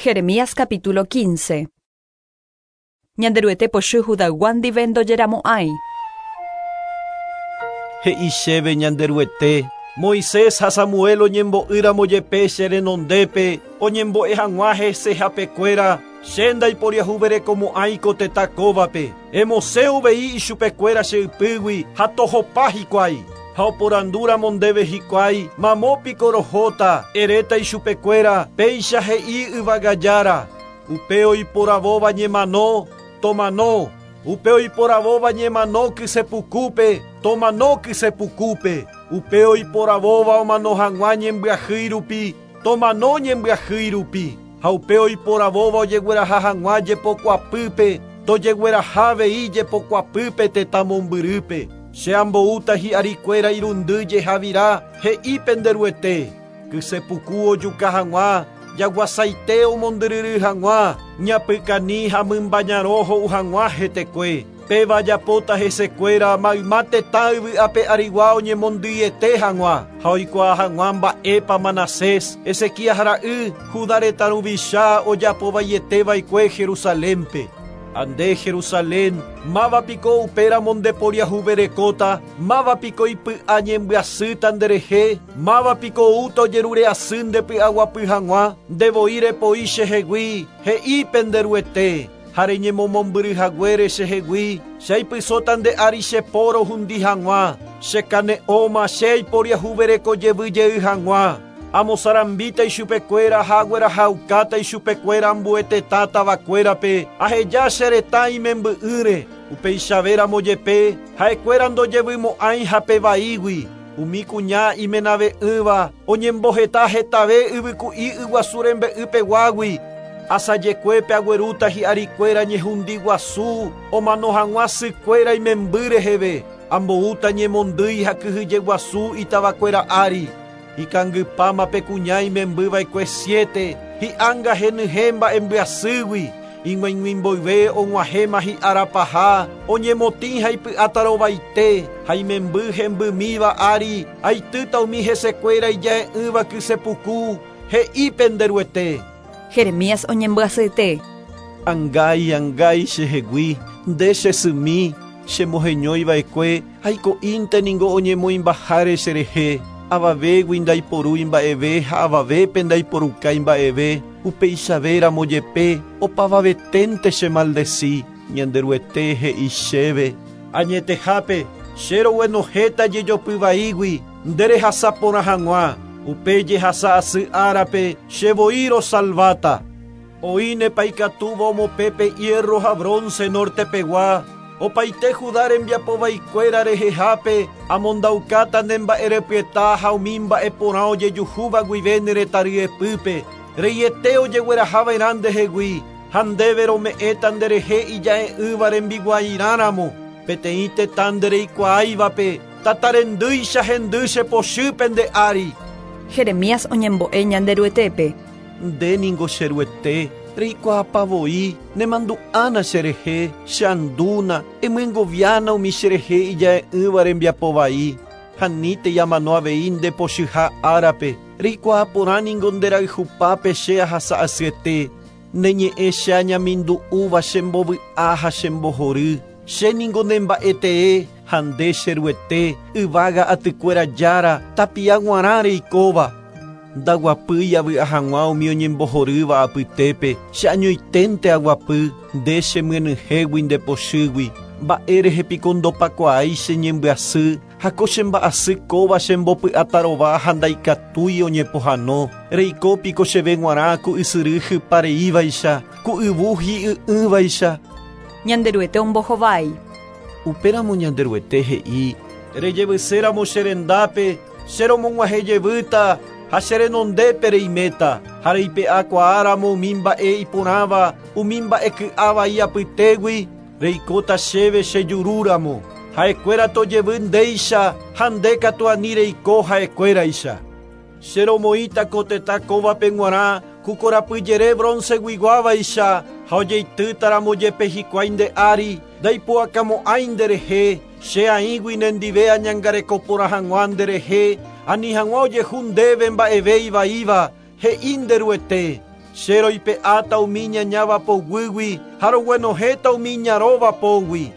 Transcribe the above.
Jeremías capítulo 15. Ñanderuete pochy Judaygua ndive ndojeramo'ãi. He'i chéve Ñanderuete, Moisés ha Samuel oñembo'ýramo jepe che renondépe oñembo'e hag̃ua hesehapekuéra, che ndaiporiahuverekomo'ãi ko tetã kóvape. Emosẽ uvei ichupekuéra che ypýgui ha tohopa hikuái. Ha oporandúramo ndéve hikuái, Mamo piko rohóta? Eréta ichupekuéra, Péicha he'i Yvága Jára, Upe oiporavóva ñemano, tomano, upe oiporavóva ñemano kysepukúpe, tomano kysepukúpe, upe oiporavóva omano hag̃ua ñembyahýi rupi, tomano ñembyahýi rupi, ha upe oiporavóva ojegueraha hag̃ua jepokuapýpe, tojegueraha avei jepokuapýpe tetã mombyrýpe. Che amboúta hi'arikuéra irundy jehavira, he'i pende Ruete, kysepuku ojuka hag̃ua, jaguasaite omondyryry hag̃ua, ñapykani ha mymba ñarõ ho'u hag̃ua hetekue. Péva ajapóta hesekuéra mayma tetã yvy ape arigua oñemondyiete hag̃ua, ha oikuaa hag̃ua mba'épa Manasés, Ezequías ra'y, Judá retã ruvicha ojapovaiete va'ekue Jerusalénpe. Ha nde, Jerusalén, máva piko upéramo ndeporiahuverekóta? Máva piko ipy'a ñembyasýta nderehe? Máva piko oúta ojerure asy ndepy'aguapy hag̃ua? Nde voi repoi chehegui, he'i pende Ruete, ha reñemomombyry haguére chehegui, che aipysóta nde ári che po rohundi hag̃ua, che kane'õma che aiporiahuvereko jevy jey hag̃ua. Amosarambíta ichupekuéra ha aguerahaukáta ichupekuéra ambue tetã tavakuérape, aheja che retã imemby'ỹre. Upeichavéramo jepe, ha'ekuéra ndojevymo'ãi hape vaígui. Umi kuña imenave'ỹva oñemboheta hetave yvyku'i yguasu rembe'y peguágui. Asajekuépe aguerúta hi'arikuéra ñehundi guasu omano hag̃ua sykuéra imemby reheve. Amboúta ñemondýi ha kyhyje guasu itavakuéra ári. Ikangypáma pe kuña imemby va'ekue siete, hi'ánga henyhẽ mba'embyasýgui, ig̃uaig̃ui mboyve og̃uahẽma hi'ára paha, oñemotĩ ha ipy'atarovaite, ha imemby hembymíva ári aitýta umi hesekuéra ija'e'ỹva kysepuku, he'i pende Ruete. Jeremías oñembyasyete. Angái, angái chehegui, nde che symi, chemoheñói va'ekue, aiko'ínte ningo oñemoĩmbaháre cherehe, avavégui ndaiporúi mba'eve ha avavépe ndaiporukái mba'eve, upeichavéramo jepe opavaveténte chemaldesi, Ñanderuete he'i chéve. Añetehápe, che roguenohẽta jejopy vaígui nde rehasa porã hag̃ua, upe jehasa asy árape che voi rosalváta. Oĩnepa ikatúva omopẽ pe hierro ha bronce norte pegua, opaite Judá rembiapo vaikuéra rehehápe amondaukáta ne mba'erepyeta ha umi mba'e porã ojejuhúva guive ne retã ryepýpe, reiete ojegueraha va'erã ndehegui, ha ndéve rome'ẽta nderehe ija'e'ỹva rembiguairã ramo, peteĩ tetã ndereikuaáivape, tata rendýicha hendy che pochy pende ári. Jeremías oñembo'e Ñanderuetépe. Nde ningo che Ruete, reikuaapa voi, nemandu'ána cherehe, che andúna, emyengoviána umi cherehe ija'e'ỹva rembiapo vai. Ha anítei amano avei nde pochyha árape, reikuaa porã ningo nde rayhupápe che ahasa asyete. Ne ñe'ẽ che añamindu'úva chembovy'a ha chembohory. Che ningo ne mba'e tee, ha nde, che Ruete, yvága atykuéra Jára, tapia g̃uarã reikóva. Ndaguapýi avy'a hag̃ua umi oñembohorýva apytépe, che añoiténte aguapy, nde chemyenyhẽgui nde pochýgui. Mba'e rehe piko ndopakuaái che ñembyasy, ha ko che mba'asy kóva chembopy'atarova ha ndaikatúi oñepohãno? Reiko piko cheve g̃uarã ku ysyry hypa reívaicha, ku yvu hi'y'ỹvaicha? Ñanderuete ombohovái. Upéramo Ñanderuete he'i. Rejevyséramo che rendápe, che romog̃uahẽ jevýta ha che renondépe reiméta, ha reipe'akuaáramo umi mba'e iporãva umi mba'e ky'a vai apytégui, reikóta chéve che jurúramo. Ha'ekuéra tojevy ndéicha ha nde katu ani reiko ha'ekuéraicha. Che romoĩta ko tetã kóvape g̃uarã ku korapyjere bronce-guiguávaicha, ha ojeitýtaramo jepe hikuái nde ári, ndaipu'akamo'ãi nderehe, Che aĩgui nendive añangareko porã hag̃ua nderehe, ani hag̃ua ojehu ndéve mba'eve ivaíva, he'i nde Ruete. Che roipe'áta umi iñañáva poguýgui ha roguenohẽta umi iñarõva pógui.